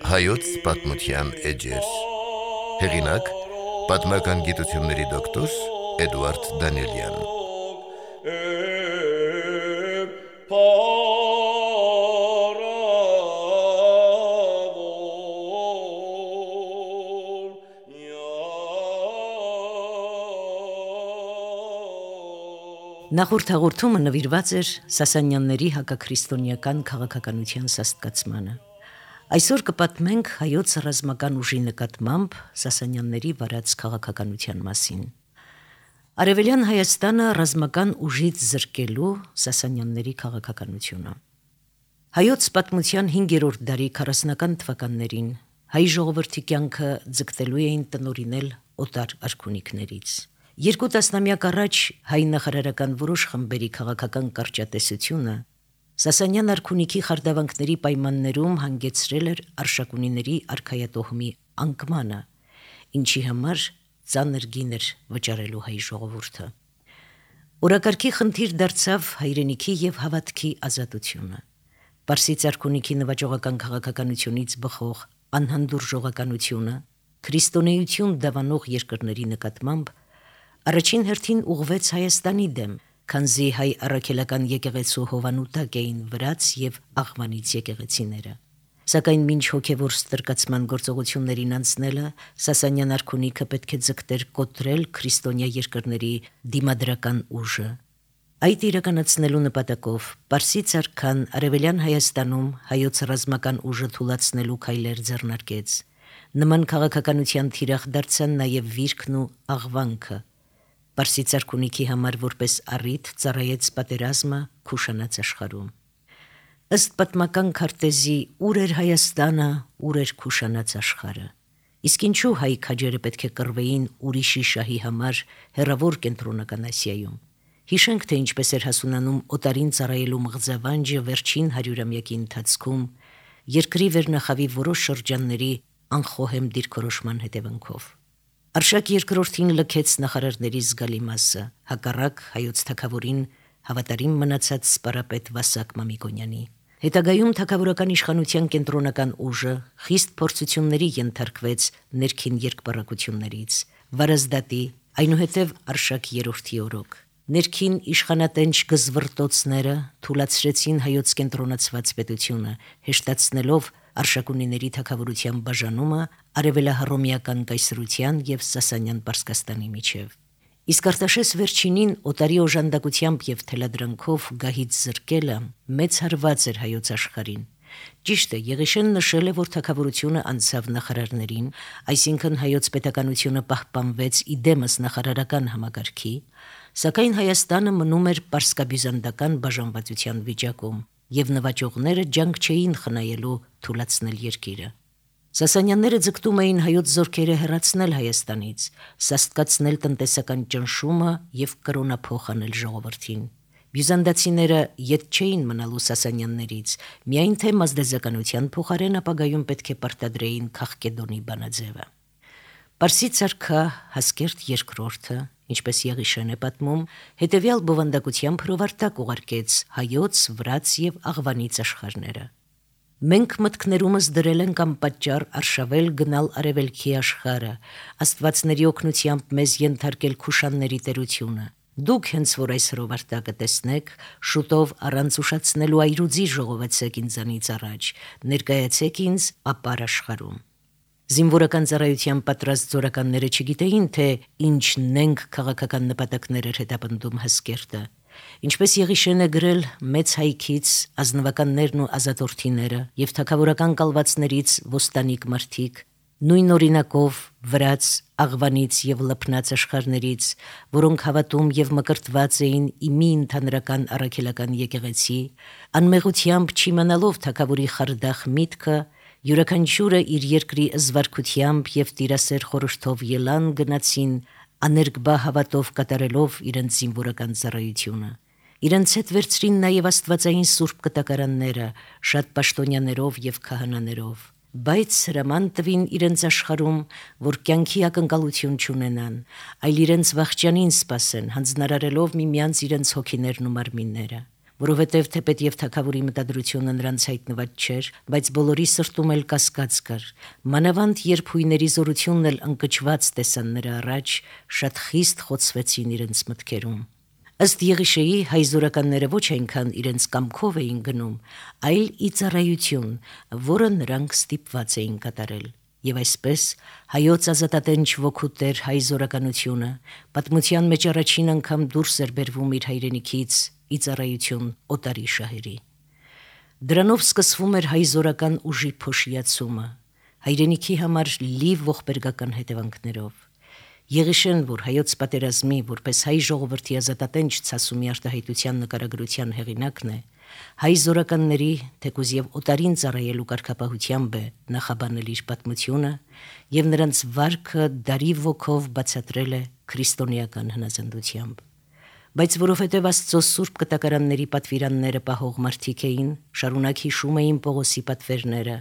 Հայոց պատմության էջեր։ Հեղինակ՝ պատմական գիտությունների դոկտոր Էդուարդ Դանիելյան։ Նախորդ հաղորդումը նվիրված էր Սասանյանների հակաքրիստոնեական քաղաքականության սաստկացմանը։ Այսօր կպատմենք հայոց ռազմական ուժի նկատմամբ Սասանյանների վարած քաղաքականության մասին։ Արևելյան Հայաստանը ռազմական ուժից զրկելու Սասանյանների քաղաքականությունը։ Հայոց պատմության 5-րդ դարի 40-ական թվականներին հայ ժողովրդի կյանքը ձգտելու էին տնօրինել օտար արքունիքներից։ Երկու տասնամյակ առաջ հայ նախարարական որոշ խմբերի քաղաքական կարճատեսությունը Սասանյան արքունիքի խարդավանքների պայմաններում հանգեցրել էր արշակունիների արքայատոհմի անկմանը, ինչի համար ծանր գին էր վճարելու հայ ժողովուրդը։ Օրակարգի խնդիր դարձավ հայրենիքի եւ հավատքի ազատությունը։ Պարսից արքունիքի նվաճողական քաղաքականությունից բխող անհանդուրժողականությունը, քրիստոնեություն դավանող երկրների նկատմամբ առաջին հերթին ուղղվեց Հայաստանի դեմ, քանզի հայ առաքելական եկեղեցու հովանուտակ էին վրաց եւ աղվանից եկեղեցիները։ Սակայն մինչ հոգևոր ստրկացման գործողություններին անցնելը Սասանյան արքունիքը պետք է ձգտեր կոտրել քրիստոնյա երկրների դիմադրական ուժը։ Այդ իրականացնելու նպատակով Պարսից արքան Արևելյան Հայաստանում հայոց ռազմական ուժը թուլացնելու քայլեր ձեռնարկեց։ Նման քաղաքականության թիրախ դարձան նաև Վիրքն ու Աղվանքը։ Պարսից արքունիքի համար որպես առիթ ծառայեց պատերազմը Քուշանաց աշխարհում։ Ըստ պատմական քարտեզի ուր էր Հայաստանը, ուր էր Քուշանաց աշխարհը։ Իսկ ինչու հայ քաջերը պետք է կռվեին ուրիշի շահի համար հեռավոր կենտրոնական Ասիայում։ Հիշենք, թե ինչպես էր հասունանում օտարին ծառայելու մղձավանջը վերջին 100-ամյակի ընթացքում երկրի վերնախավի որոշ շրջանների անխոհեմ դիրքորոշման հետևանքով։ Արշակ երկրորդին լքեց նախարարների զգալի մասը, հակառակ հայոց թագավորին հավատարիմ մնացած սպարապետ Վասակ Մամիկոնյանի։ Հետագայում թագավորական իշխանության կենտրոնական ուժը խիստ փորձությունների ենթարկվեց ներքին երկպառակություններից, Վարազդատի, այնուհետև Արշակ երրորդի օրոք։ Ներքին իշխանատենչ գզվռտոցները թուլացրեցին հայոց կենտրոնացված պետությունը, հեշտացնելով արշակունիների թագավորության բաժանումը արևելահռոմեական կայսրության եւ Սասանյան Պարսկաստանի միջև։ Իսկ Արտաշես վերջինին օտարի օժանդակությամբ եւ թելադրանքով գահից զրկելը մեծ հարված էր հայոց աշխարհին։ Ճիշտ է, Եղիշեն նշել է, որ թագավորությունը անցավ նախարարներին, այսինքն հայոց պետականությունը պահպանվեց իդեմս նախարարական համակարգի, սակայն Հայաստանը մնում էր պարսկաբյուզանդական բաժանվածության վիճակում, եւ նվաճողները ջանք չէին խնայելու թուլացնել երկիրը։ Սասանյանները ձգտում էին հայոց զորքերը հեռացնել Հայաստանից, սաստկացնել տնտեսական ճնշումը եւ կրոնափոխ անել ժողովրդին։ Բյուզանդացիները ետ չէին մնալու Սասանյաններից, միայն թե մազդեզականության փոխարեն ապագայում պետք է պարտադրեին Քաղկեդոնի բանաձևը։ Պարսից արքա Հասկերտ II, ինչպես Եղիշեն է պատմում, հետևյալ բովանդակությամբ հրովարտակ ուղարկեց հայոց, վրաց եւ աղվանից աշխարհները։ Մենք մտքներումս դրել ենք անպատճառ արշավել գնալ արևելքի աշխարհը, աստվածների օգնությամբ մեզ ենթարկել Քուշանների տերությունը։ Դուք հենց որ այս հրովարտակը տեսնեք, շուտով առանց ուշացնելու այրուձի ժողովեցեք ինձանից առաջ, ներկայացեք ինձ ապար աշխարհում։ Զինվորական ծառայության պատրաստ զորականները չգիտեին, թե ինչն ենք քաղաքական նպատակներ էր հետապնդում Հասկերտը։ Ինչպես Եղիշեն է գրել, մեծ հայքից ազնվականներն ու ազատորդիները եւ թագավորական կալվածներից ոստանիկ մարդիկ, նույն օրինակով վրաց, աղվանից եւ լփնած աշխարհներից, որոնք հավատում եւ մկրտված էին իմի ընդհանրական առաքելական եկեղեցի, անմեղությամբ չիմանալով թագավորի խարդախ միտքը, յուրաքանչյուրը իր երկրի զվարքությամբ եւ տիրասեր խորհրդով ելան գնացին աներկբա հավատով կատարելով իրենց զինվորական ծառայությունը։ Իրենց հետ վերցրին նաև աստվածային սուրբ կտակարանները, շատ պաշտոնյաներով եւ քահանաներով։ Բայց հրաման տվին իրենց աշխարհում, որ կյանքի ակնկալություն չունենան, այլ իրենց վախճանին սպասեն, հանձնարարելով միմյանց իրենց հոգիներն ու մարմինները։ որովհետև թեպետ եւ թագավորի մտադրությունը նրանց հայտնված չէր, բայց բոլորի սրտում էլ կասկած կար։ Մանավանդ երբ հույների զորությունն էլ ընկճված տեսան նրա առաջ, շատ խիստ խոցվեցին իրենց մտքերում։ Ըստ Եղիշեի հայ զորականները ոչ այնքան իրենց կամքով էին գնում, այլ ի ծառայություն, որը նրանք ստիպված էին կատարել։ Եվ այսպես հայոց ազատատենչ ոգու տեր հայ զորականությունը պատմության մեջ առաջին անգամ դուրս էր բերվում իր հայրենիքից ի ծառայություն օտարի շահերի։ Դրանով սկսվում էր հայ զորական ուժի փոշիացումը, հայրենիքի համար լիվ ողբերգական հետևանքներով։ Եղիշեն, որ հայոց պատերազմի, որպես հայ ժողովրդի ազատատենչ ցասումի արտահայտության նկարագրության հեղինակն է, հայ զորականների, թեկուզ եւ օտարին ծառայելու կարգապահությամբ է նախաբանել իր պատմությունը եւ նրանց վարքը դարի ոգով բացատրել է քրիստոնեական հնազանդությամբ։ Բայց որովհետև Աստծո սուրբ կտակարանների պատվիրանները պահող մարդիկ էին, շարունակ հիշում էին Պողոսի պատվերները,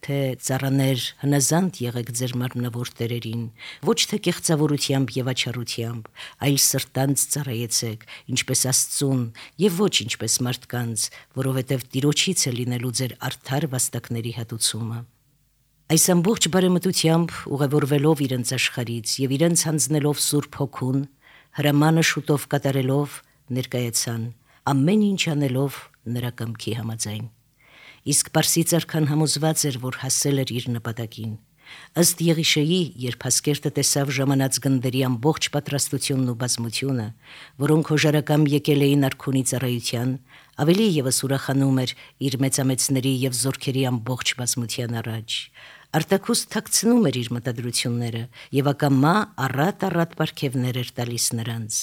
թե ծառաներ հնազանդ եղեք ձեր մարմնավոր տերերին, ոչ թե կեղծավորությամբ եւ աչառությամբ, այլ սրտանց ծառայեցեք, ինչպես Աստծուն եւ ոչ ինչպես մարդկանց, որովհետև Տիրոջից է լինելու ձեր արդար վաստակների հատուցումը։ Այս ամբողջ բարեմտությամբ ուղևորվելով իրենց աշխարից եւ իրենց հանձնելով Սուրբ Հոգուն, հրամանը շուտով կատարելով ներկայացան, ամեն ինչ անելով նրա կամքի համաձայն։ Իսկ Պարսի царքան համոզված էր, որ հասել էր իր նպատակին։ Ըստ Եղիշեի, երբ Հասկերտը տեսավ ժամանած գնդերի ամբողջ պատրաստությունն ու բազմությունը, որոնք հոժարակամ եկել էին արքունի ծառայության, ավելի ևս ուրախանում էր իր մեծամեծների եւ զորքերի ամբողջ բազմության առաջ։ Արտաքուստ թաքցնում էր իր մտադրությունները եւ ակամա առատ պարգևներ էր տալիս նրանց։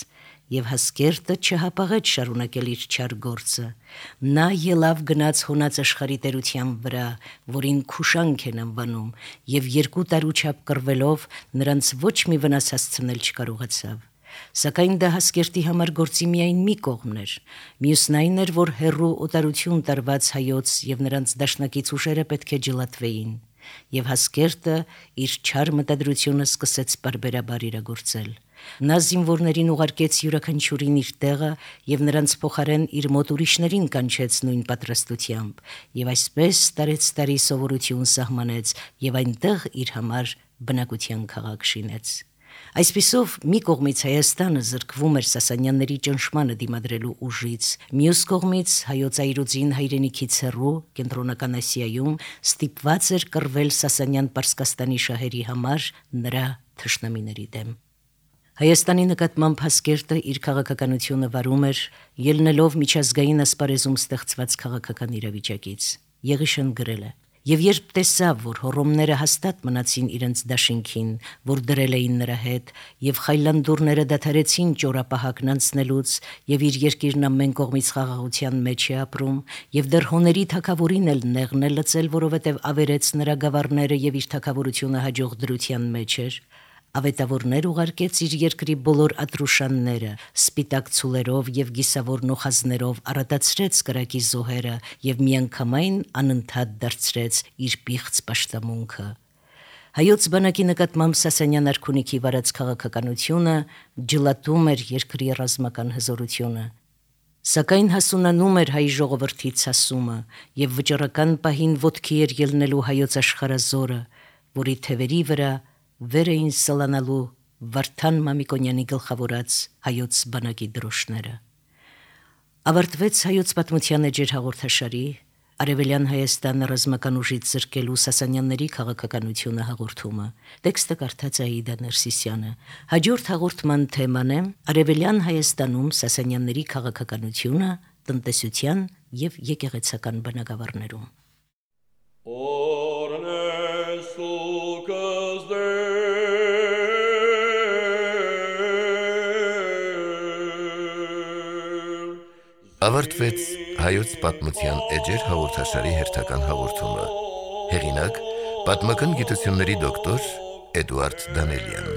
Եվ Հասկերտը չհապաղեց շարունակել իր չար գործը։ Նա ելավ գնաց հոնած աշխարհի տերության վրա, որին Քուշանք են անվանում, եւ 2 տարուչափ կռվելով նրանց ոչ մի վնաս հասցնել չկարողացավ։ Սակայն դա Հասկերտի համար գործի միայն մի կողմն էր։ Մյուսն այն էր, որ հերրու օտարություն տարված հայոց եւ նրանց դաշնակից ուժերը պետք է ջլատվեին։ Եվ Հասկերտը իր չար մտադրությունը սկսեց բարբերաբար իրագործել։ Նա զինվորներին ուղարկեց յուրաքանչյուրին իր տեղը եւ նրանց փոխարեն իր մոտ ուրիշներին կանչեց նույն պատրաստությամբ եւ այսպես տարեցտարի սովորություն սահմանեց եւ այնտեղ իր համար բնակության քաղաք շինեց։ Այսպիսով մի կողմից Հայաստանը զրկվում էր Սասանյանների ճնշմանը դիմադրելու ուժից, մյուս կողմից հայոց այրուձին հայրենիքից հեռու Կենտրոնական Ասիայում ստիպված էր կռվել Սասանյան Պարսկաստանի շահերի համար նրա թշնամիների դեմ։ Հայաստանի նկատմամբ Հասկերտը իր քաղաքականությունը վարում էր, ելնելով միջազգային ասպարեզում ստեղծված քաղաքական իրավիճակից։ Եղիշեն գրել է. Եվ երբ տեսավ, որ հոռոմները հաստատ մնացին իրենց դաշինքին, որ դրել էին նրա հետ, եւ խայլանդուրները դադարեցին ճորապահակն անցնելուց, եւ իր երկիրն ամեն կողմից խաղաղության մեջ է ապրում, եւ դեռ հոների թագավորին էլ նեղն է լծել, որովհետեւ ավերեց նրա գավառները եւ իր թագավորությունը հաջող դրության մեջ էր, ավետավորներ ուղարկեց իր երկրի բոլոր ատրուշանները, սպիտակ ցուլերով եւ գիսավոր նոխազներով առատացրեց կրակի զոհերը եւ միանգամայն անընդհատ դարձրեց իր պիղծ պաշտամունքը։ Հայոց բանակի նկատմամբ Սասանյան արքունիքի վարած քաղաքականությունը ջլատում էր երկրի ռազմական հզորությունը։ Սակայն հասունանում էր հայ ժողովրդի ցասումը եւ վճռական պահին ոտքի էր ելնելու հայոց աշխարհազորը, որի թևերի վրա վեր էին սլանալու Վարդան Մամիկոնյանի գլխավորած հայոց բանակի դրոշները։ Ավարտվեց հայոց պատմության էջեր հաղորդաշարի Արևելյան Հայաստանը ռազմական ուժից զրկելու Սասանյանների քաղաքականությունը հաղորդումը։ Տեքստը կարդաց Աիդա Ներսիսյանը։ Հաջորդ հաղորդման թեման է Արևելյան Հայաստանում Սասանյանների քաղաքականությունը, տնտեսության եւ եկեղեցական բնակավարներում։ Ավարտվեց հայոց պատմության էջեր հաղորդաշարի հերթական հաղորդումը։ Հեղինակ՝ պատմական գիտությունների դոկտոր Էդուարդ Դանելյան։